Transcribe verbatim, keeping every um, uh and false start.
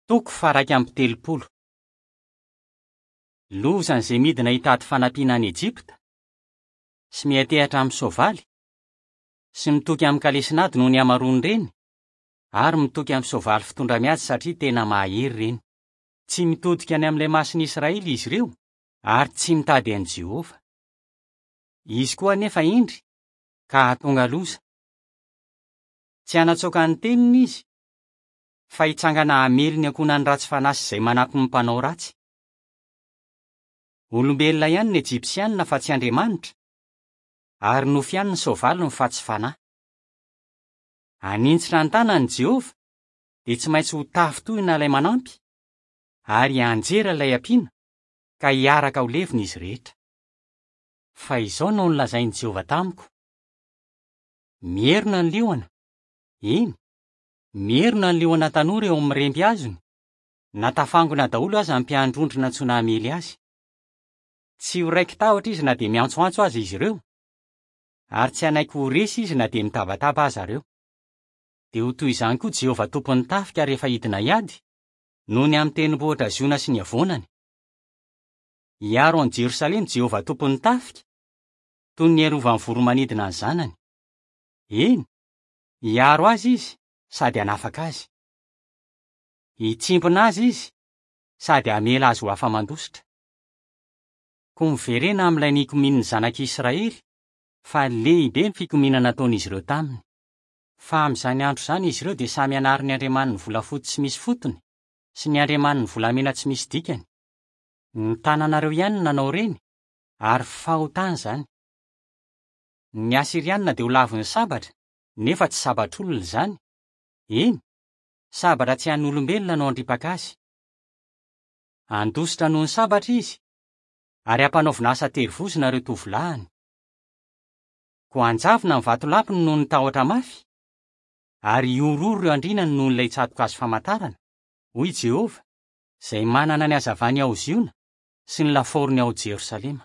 Toko faha-iraika amby telopolo. Lozan'izay midina hitady fanampiana any Ejipta, sy miantehatra amin'ny soavaly, sy mitoky amin'ny kalesin'ady noho ny hamaroan'ireny, ary mitoky amin'ny soavaly fitondra miady satria tena mahery ireny. Tsy mitodika any amin'ilay Masin'i Israely izy ireo ary tsy mitady an'i Jehovah. Izy koa anefa indry ka hahatonga loza. Tsy hanatsoaka ny teniny izy, fa hitsangana hamely ny ankohonan'ny ratsy fanahy sy izay manampy ny mpanao ratsy. Olombelona ihany ny Ejipsianina fa tsy Andriamanitra, ary nofy ihany ny soavaliny fa tsy fanahy. Haninjitra ny tanany Jehovah, dia tsy maintsy ho tafintohina ilay manampy, ary hianjera ilay ampiana, ka hiaraka ho levona izy rehetra. Fa izao no nolazain'i Jehovah tamiko: Mierona ny liona, eny, mierona ny liona tanora eo amin'ny remby azony, na tafangona daholo aza ny mpiandry nantsoina hamely azy. Tsy ho raiki-tahotra izy na dia miantsoantso aza izy ireo, ary tsy hanaiky ho resy izy na dia mitabataba aza ireo. Dia ho toy izany koa Jehovah tompon'ny tafika rehefa hidina hiady, noho ny amin'ny tendrombohitra Ziona sy ny havoanany. Hiaro an'i Jerosalema Jehovah tompon'ny tafika, toy ny niarovan'ny voro-manidina ny zanany. Eny, hiaro azy izy sady hanafaka azy. Hitsimpona azy izy sady hamela azy ho afa-mandositra. Koa miverena amin'ilay nikomian'ny zanak'Israely, fa lehibe ny fikomiana nataon'izy ireo taminy. Fa amin'izany andro izany izy ireo dia samy hanary ny andriamaniny volafotsy tsy misy fotony sy ny andriamaniny volamena tsy misy dikany. Ny tananareo ihany no nanao ireny, ary fahotana izany. Ny Asirianina dia ho lavin'ny sabatra, nefa tsy sabatr'olona izany. Eny, sabatra tsy an'olombelona no handripaka azy. Handositra noho ny sabatra izy, ary hampanaovina asa terivozona ireo tovolahiny. Koa hanjavona ny vatolampiny noho ny tahotra mafy, ary hihorohoro ireo andrinany noho ilay tsato-kazo famantarana, hoy Jehovah, izay manana ny hazavany ao Ziona sy ny lafaoriny ao Jerosalema.